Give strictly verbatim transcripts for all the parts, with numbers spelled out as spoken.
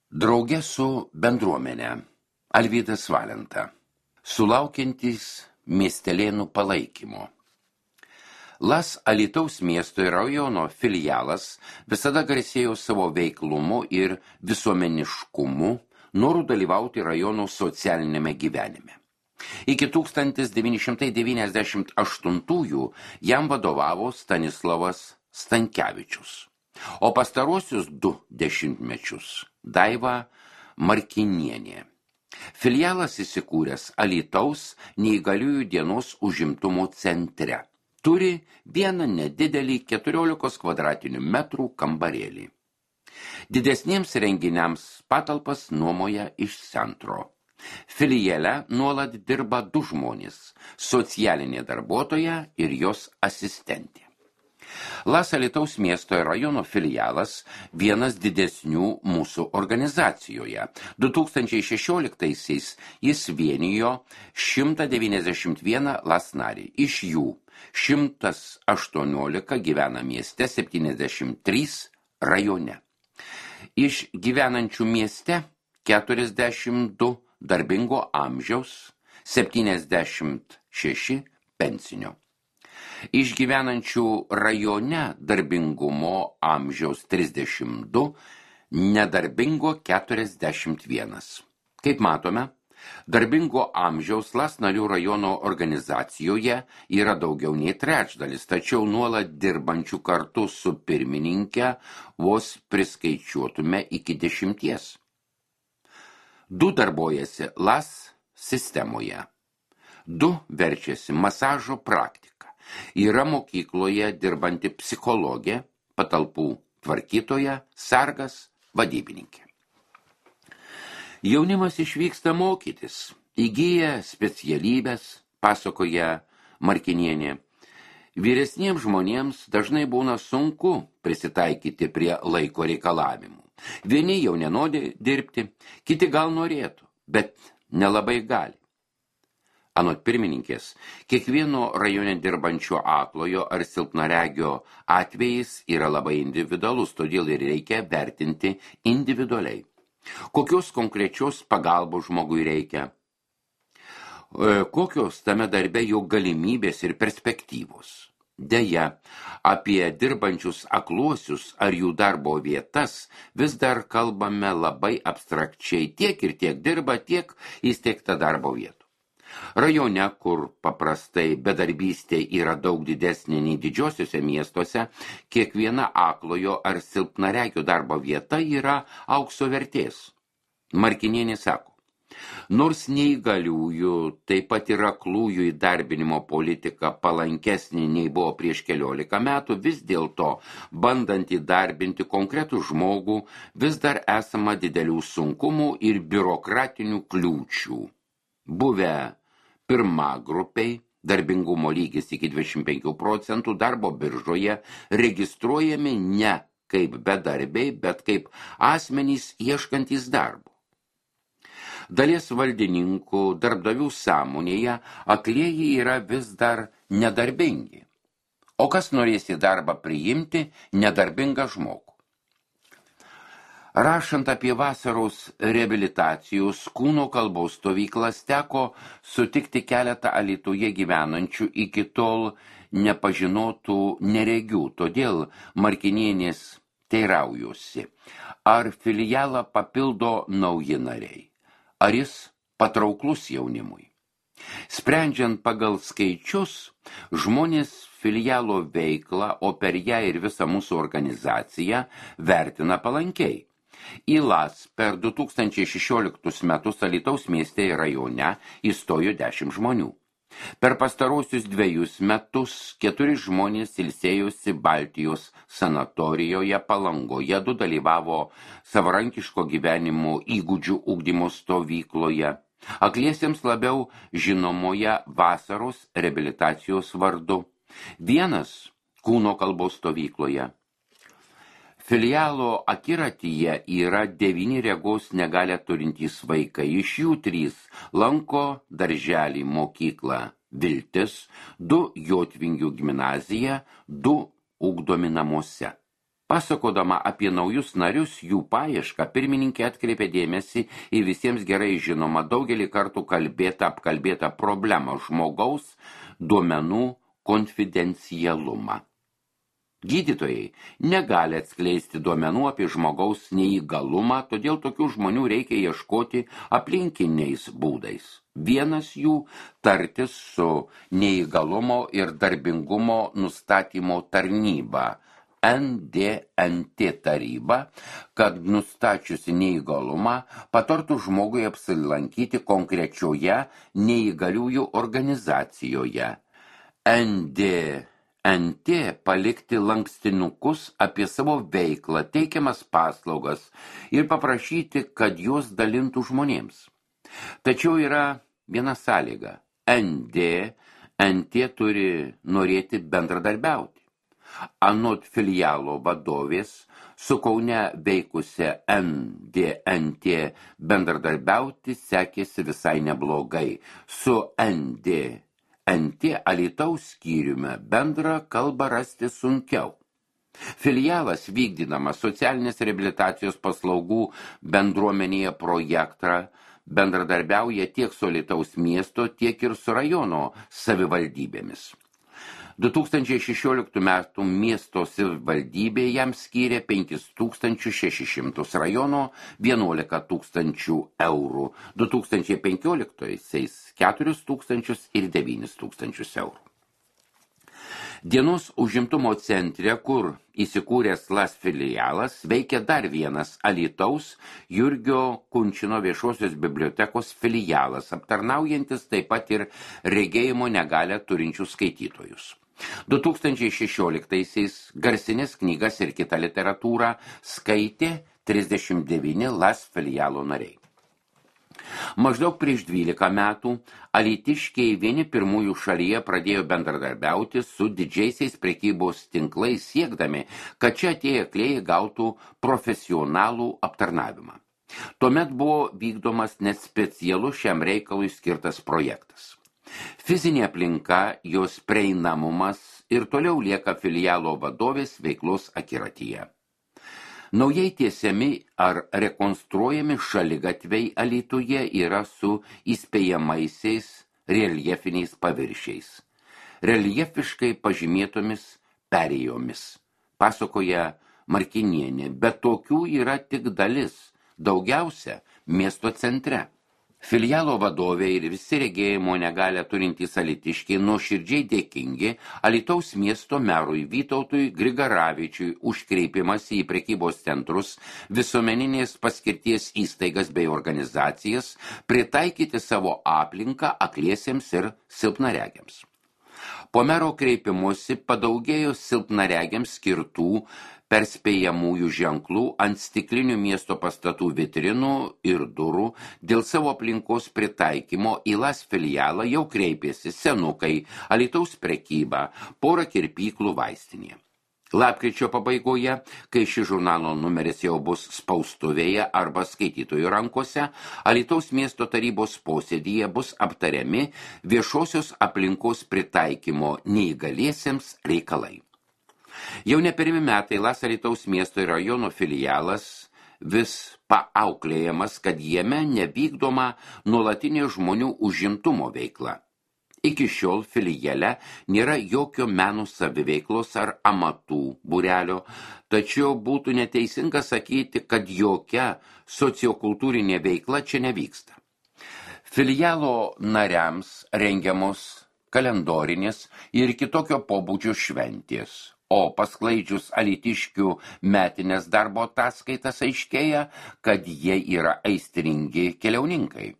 Drauge su bendruomenė Alvydas Valenta, sulaukiantys miestelėnų palaikymo. Las Alytaus miesto ir rajono filialas visada garsėjo savo veiklumu ir visuomeniškumu, noru dalyvauti rajono socialinėme gyvenime. Iki tūkstantis devyni šimtai devyniasdešimt aštuntųjų jam vadovavo Stanislavas Stankevičius, o pastaruosius du dešimtmečius Daiva Markinienė. Filialas įsikūręs Alytaus neįgaliųjų dienos užimtumo centre. Turi vieną nedidelį keturiolikos kvadratinių metrų kambarėlį. Didesniems renginiams patalpas nuomoja iš centro. Filiale nuolat dirba du žmonės – socialinė darbuotoja ir jos asistentė. Las Alytaus miesto ir rajono filialas vienas didesnių mūsų organizacijoje. du tūkstančiai šešioliktaisiais jis vienijo šimtą devyniasdešimt vieną Las narį. Iš jų šimtas aštuoniolika gyvena mieste, septyniasdešimt trys rajone. Iš gyvenančių mieste keturiasdešimt du darbingo amžiaus, septyniasdešimt šeši pensinio. Iš gyvenančių rajone darbingumo amžiaus trisdešimt du, nedarbingo keturiasdešimt vienas. Kaip matome, darbingo amžiaus Las narių rajono organizacijoje yra daugiau nei trečdalis, tačiau nuolat dirbančių kartu su pirmininke vos priskaičiuotume iki dešimties. Du darbojasi Las sistemoje. Du verčiasi masažo praktika. Yra mokykloje dirbanti psichologė, patalpų tvarkytoja, sargas, vadybininkė. Jaunimas išvyksta mokytis, įgyja specialybės, pasakoja Markinienė. Vyresniems žmonėms dažnai būna sunku prisitaikyti prie laiko reikalavimų. Vieni jau nenori dirbti, kiti gal norėtų, bet nelabai gali. Anot pirmininkės, kiekvieno rajone dirbančio aklojo ar silpnaregio atvejis yra labai individualus, todėl ir reikia vertinti individualiai. Kokios konkrečios pagalbos žmogui reikia? Kokios tame darbe jo galimybės ir perspektyvos? Deja, apie dirbančius akluosius ar jų darbo vietas vis dar kalbame labai abstrakčiai, tiek ir tiek dirba, tiek įsteigta darbo vietų. Rajone, kur paprastai bedarbystė yra daug didesnė nei didžiosiuose miestuose, kiekviena aklojo ar silpnaregio darbo vieta yra aukso vertės. Markinienė sako, nors neįgaliųjų, taip pat ir aklųjų įdarbinimo politika palankesnė nei buvo prieš keliolika metų, vis dėlto, bandant įdarbinti konkretų žmogų, vis dar esama didelių sunkumų ir biurokratinių kliūčių. Buvę pirma grupiai, darbingumo lygis iki dvidešimt penkių procentų, darbo biržoje registruojami ne kaip bedarbiai, bet kaip asmenys ieškantys darbo. Dalies valdininkų darbdavių sąmonėje aklieji yra vis dar nedarbingi. O kas norės į darbą priimti nedarbingą žmogų? Rašant apie vasaros reabilitacijos kūno kalbos stovyklas, teko sutikti keletą Alytuje gyvenančių iki tol nepažinotų neregių, todėl Markinienės teiraujuosi, ar filialą papildo nauji nariai, ar jis patrauklus jaunimui. Sprendžiant pagal skaičius, žmonės filialo veiklą, o per ją ir visą mūsų organizaciją vertina palankiai. Į Las per du tūkstančiai šešioliktus metus Alytaus mieste ir rajone įstojo dešimt žmonių. Per pastarosius dviejus metus keturi žmonės ilsėjosi Baltijos sanatorijoje Palangoje, du dalyvavo savarankiško gyvenimo įgūdžių ugdymo stovykloje, akliesiems labiau žinomoje vasaros reabilitacijos vardu, vienas kūno kalbos stovykloje. Filialo akiratyje yra devyni regos negalią turintys vaikai, iš jų trys lanko darželį mokyklą Viltis, du Jotvingių gimnaziją, du ugdomi namuose. Pasakodama apie naujus narius, jų paiešką, pirmininkė atkreipė dėmesį į visiems gerai žinomą daugelį kartų kalbėtą apkalbėtą problemą žmogaus duomenų konfidencialumą. Gydytojai negali atskleisti duomenų apie žmogaus neįgalumą, todėl tokių žmonių reikia ieškoti aplinkiniais būdais. Vienas jų tartis su neįgalumo ir darbingumo nustatymo tarnyba, N D N T taryba, kad nustačiusi neįgalumą patartų žmogui apsilankyti konkrečioje neįgaliųjų organizacijoje. N D N T palikti lankstinukus apie savo veiklą, teikiamas paslaugas ir paprašyti, kad juos dalintų žmonėms. Tačiau yra viena sąlyga. N D N T turi norėti bendradarbiauti. Anot filialo vadovės, su Kaune veikusia N D N T bendradarbiauti sekėsi visai neblogai. Su N D N T Alytaus skyriumi bendrą kalbą rasti sunkiau. Filialas vykdydamas socialinės reabilitacijos paslaugų bendruomenėje projektą bendradarbiauja tiek su Alytaus miesto, tiek ir su rajono savivaldybėmis. du tūkstančiai šešioliktų metų miesto savivaldybė jam skyrė penkis tūkstančius šešis šimtus, rajono vienuolika tūkstančių eurų, du tūkstančiai penkioliktaisiais keturis tūkstančius ir devynis tūkstančius eurų. Dienos užimtumo centre, kur įsikūręs Las filialas, veikia dar vienas Alytaus Jurgio Kunčino viešosios bibliotekos filialas, aptarnaujantis taip pat ir regėjimo negalią turinčių skaitytojus. du tūkstančiai šešioliktaisiais garsinės knygas ir kitą literatūrą skaitė trisdešimt devyni Las filialo nariai. Maždaug prieš dvylika metų alytiškiai vieni pirmųjų šalyje pradėjo bendradarbiauti su didžiaisiais prekybos tinklais, siekdami, kad čia atėję klėjai gautų profesionalų aptarnavimą. Tuomet buvo vykdomas net specialus šiam reikalui skirtas projektas. Fizinė aplinka, jos prieinamumas ir toliau lieka filialo vadovės veiklos akiratyje. Naujai tiesiami ar rekonstruojami šaligatviai Alytuje yra su įspėjamaisiais reljefiniais paviršiais, reljefiškai pažymėtomis perėjomis, pasakoja Markinienė, bet tokių yra tik dalis, daugiausia miesto centre. Filialo vadovė ir visi regėjimo negalią turintys alytiškiai nuoširdžiai dėkingi Alytaus miesto merui Vytautui Grigaravičiui už kreipimąsi į prekybos centrus, visuomeninės paskirties įstaigas bei organizacijas pritaikyti savo aplinką akliesiems ir silpnaregiams. Po mero kreipimusi padaugėjo silpnaregiams skirtų perspėjamųjų ženklų ant stiklinių miesto pastatų vitrinų ir durų. Dėl savo aplinkos pritaikymo į Las filialą jau kreipėsi senukai, Alytaus prekyba, pora kirpyklų vaistinė. Lapkričio pabaigoje, kai ši žurnalo numeris jau bus spaustuvėje arba skaitytojų rankose, Alytaus miesto tarybos posėdyje bus aptariami viešosios aplinkos pritaikymo neįgaliesiems reikalai. Jau ne pirmi metai Las Alytaus miesto ir rajono filialas vis paauklėjamas, kad jame nevykdoma nuolatinė žmonių užimtumo veikla. Iki šiol filiale nėra jokio menų saviveiklos ar amatų būrelio, tačiau būtų neteisinga sakyti, kad jokia sociokultūrinė veikla čia nevyksta. Filialo nariams rengiamos kalendorinės ir kitokio pobūdžio šventės, o pasklaidžius alytiškių metinės darbo ataskaitas aiškėja, kad jie yra aistringi keliauninkai.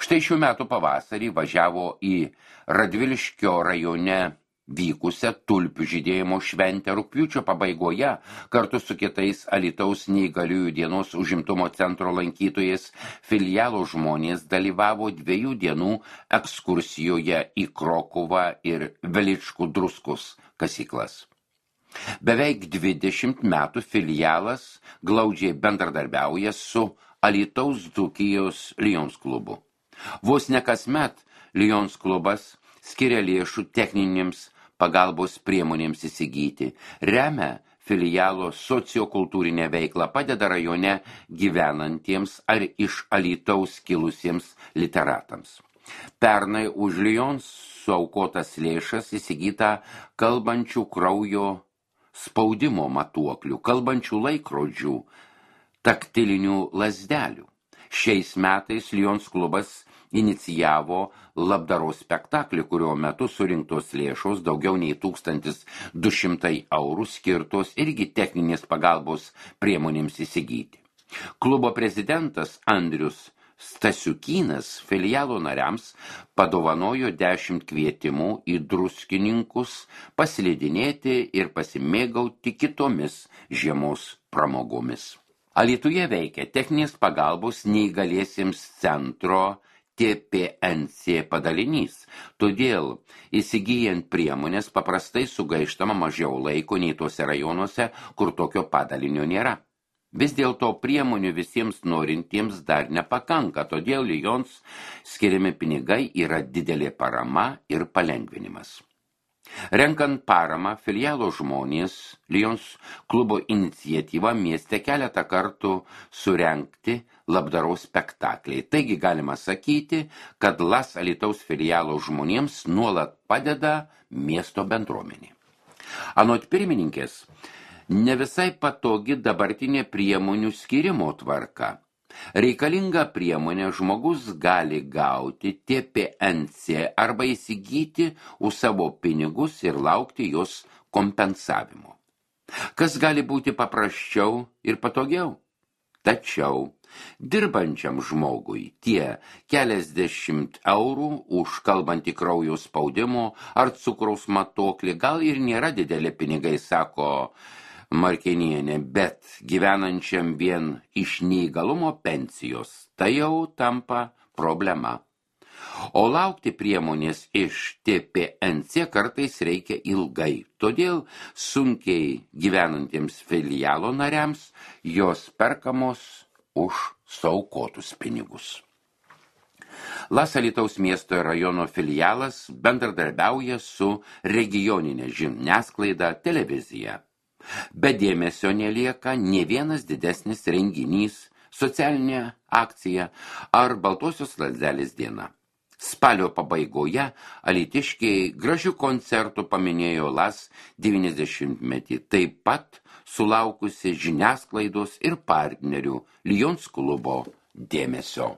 Štai šių metų pavasarį važiavo į Radviliškio rajone vykusią tulpių žydėjimo šventę rugpjūčio pabaigoje kartu su kitais Alytaus neįgaliųjų dienos užimtumo centro lankytojais filialo žmonės dalyvavo dviejų dienų ekskursijoje į Krokuvą ir Veličkų druskus kasyklas. Beveik dvidešimt metų filialas glaudžiai bendradarbiauja su Alytaus Dzūkijos Lions klubu. Vos ne kasmet Lions klubas skiria lėšų techninėms pagalbos priemonėms įsigyti, remia filialo sociokultūrinę veiklą, padeda rajone gyvenantiems ar iš Alytaus kilusiems literatams. Pernai už Lions suaukotas lėšas įsigyta kalbančių kraujo spaudimo matuoklių, kalbančių laikrodžių, taktilinių lazdelių. Šiais metais Lions klubas inicijavo labdaros spektaklį, kurio metu surinktos lėšos daugiau nei tūkstantis du šimtai eurų skirtos irgi techninės pagalbos priemonėms įsigyti. Klubo prezidentas Andrius Stasiukynas filialo nariams padovanojo dešimt kvietimų į Druskininkus paslidinėti ir pasimėgauti kitomis žiemos pramogomis. Alytuje veikia techninės pagalbos neįgaliesiems centro T P N C padalinys, todėl įsigyjant priemonės paprastai sugaištama mažiau laiko nei tuose rajonuose, kur tokio padalinio nėra. Vis dėlto priemonių visiems norintiems dar nepakanka, todėl Lions skiriami pinigai yra didelė parama ir palengvinimas. Renkant paramą, filialo žmonės Lions klubo iniciatyva mieste keletą kartų surengti labdaros spektakliai. Taigi galima sakyti, kad Las Alytaus filialo žmonėms nuolat padeda miesto bendruomenė. Anot pirmininkės, ne visai patogi dabartinė priemonių skirimo tvarka. Reikalinga priemonė žmogus gali gauti T P N C arba įsigyti už savo pinigus ir laukti jos kompensavimo. Kas gali būti paprasčiau ir patogiau? Tačiau dirbančiam žmogui tie keliasdešimt eurų už kalbantį kraujo spaudimo ar cukraus matuoklį gal ir nėra didelė pinigai, sako Markenienė, bet gyvenančiam vien iš neįgalumo pensijos tai jau tampa problema. O laukti priemonės iš T P N C kartais reikia ilgai, todėl sunkiai gyvenantiems filialo nariams jos perkamos už suaukotus pinigus. Las Alytaus miesto ir rajono filialas bendradarbiauja su regioninė žiniasklaida, televizija. Be dėmesio nelieka nė vienas didesnis renginys, socialinė akcija ar Baltosios lazdelės diena. Spalio pabaigoje alytiškiai gražių koncertų paminėjo Las devyniasdešimtmetį, taip pat sulaukusi žiniasklaidos ir partnerių Lions klubo dėmesio.